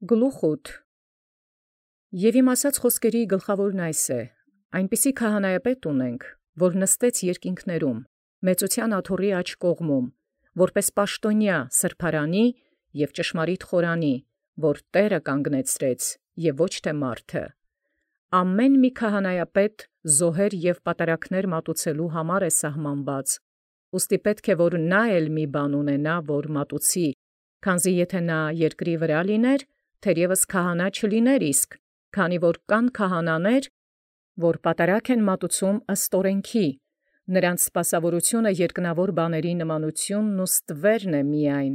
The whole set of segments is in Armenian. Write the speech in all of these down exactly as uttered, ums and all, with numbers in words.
Գլուխ Եւ իմ ասաց խոսքերի գլխաւորն է. այնպիսի քահանայապետ ունենք, որ նստեց երկինքներում, մեծութեան աթոռի աջ կողմում, որպէս պաշտաւնեայ սրբարանի և ճշմարիտ խորանի, որ Տէրը կանգնեցրեց և ոչ թե մարդը։ Ամեն մի քահանայապետ զոհեր և պատարագաց մատուցելոյ համար է սահմանված, ուստի պետք է որ նա էլ մի բան ունենա, որ մատուցի, քանզի եթէ նա երկրի վրայ լիներ, թերևս քահանա չլիներ իսկ, քանի որ կան քահանաներ, որ պատարագ են մատուցում ըստ օրենքի, նրանց սպասաւորութիւնը երկնաւոր բաներու նմանութիւնն ու ստվերն է միայն.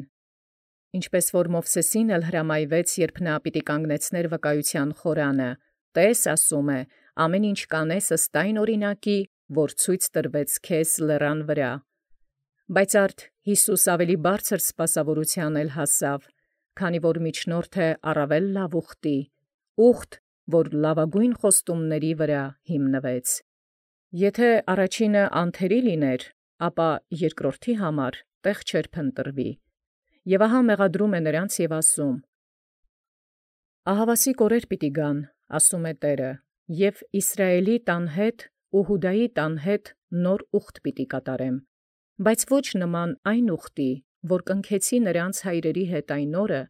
ինչպէս որ Մովսէսին էլ հրամայեաց, երբ նա պիտի կանգնեցնէր վկայութեան խորանը, տէս, ասում է, ամենայն ինչ կանես ըստ այն օրինակի, որ ցույց տրվեց քեզ լերան վրայ։ Բայց արդ Յիսուս ավելի բարձր սպասաւորութեան էլ հասաւ, քանի որ միջնորդը առաւել լաւ ուխտի, ուխտ, որ լաւագոյն խոստումացն վրայ հիմնվեց։ Եթէ առաջինը անթերի լիներ, ապա երկրորդի համար տեղ չէր փնտրվի։ Եւ ահա մեղադրում է նրանց և ասում. «Ահավասիկ օրեր պիտի գան, ասում է Տէրը, և Իսրայէլի տան հետ ու Յուդայի տան հետ նոր ուխտ պիտի կատարեմ, բայց ոչ նման այն ուխտի, որ կնքեցի նոցին հայրերի հետ այն օրը,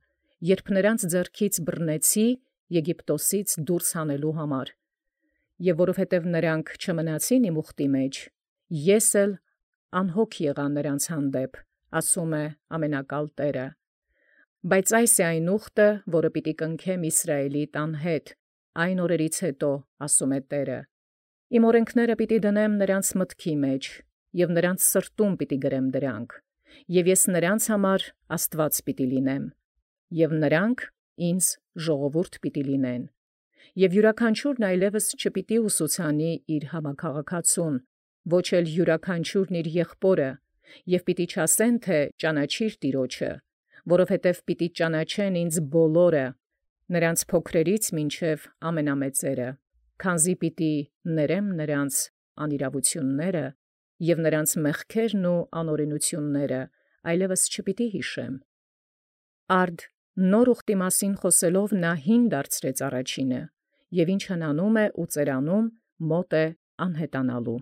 երբ նոցին ձեռքից բռնեցի Եգիպտոսից դուրս հանելոյ համար։ Եւ որովհետև նոցին չմնացին իմ ուխտի մեջ, ես էլ անհոգ եղայ նոցին հանդեպ, ասում է Ամենակալ Տէրը։ Բայց այս է այն ուխտը, որը պիտի կնքեմ Իսրայէլի տան հետ այն օրերից յետո, ասում է Տէրը. իմ օրենքս պիտի դնեմ նոցին մտքի մեջ, և նոցին սրտում պիտի գրեմ դրանք, և ես նոցին համար Աստուած պիտի լինեմ, և նոցին ինձ ժողովուրդ պիտի լինեն։ Եւ յիւրաքանչիւրն այլևս չպիտի ուսուցանի իր համակարգացուն, ոչ էլ յիւրաքանչիւրն իր եղբորը, և պիտի չասեն, թէ ճանաչիր Տեառնէ, որովհետև պիտի ճանաչեն ինձ բոլորը, նրանց փոքրերից մինչև ամենամեծերը, քանզի պիտի ներեմ նոցին անիրաւութիւնս, և նոցին մեղքերն ու անօրենութիւնս այլևս չպիտի յիշեմ։ Արդ նոր ուխտի մասին խոսելով հին դարձրեց առաջինը, և ինչ հնանում է ու ծերանում՝ մոտ է անհետանալու։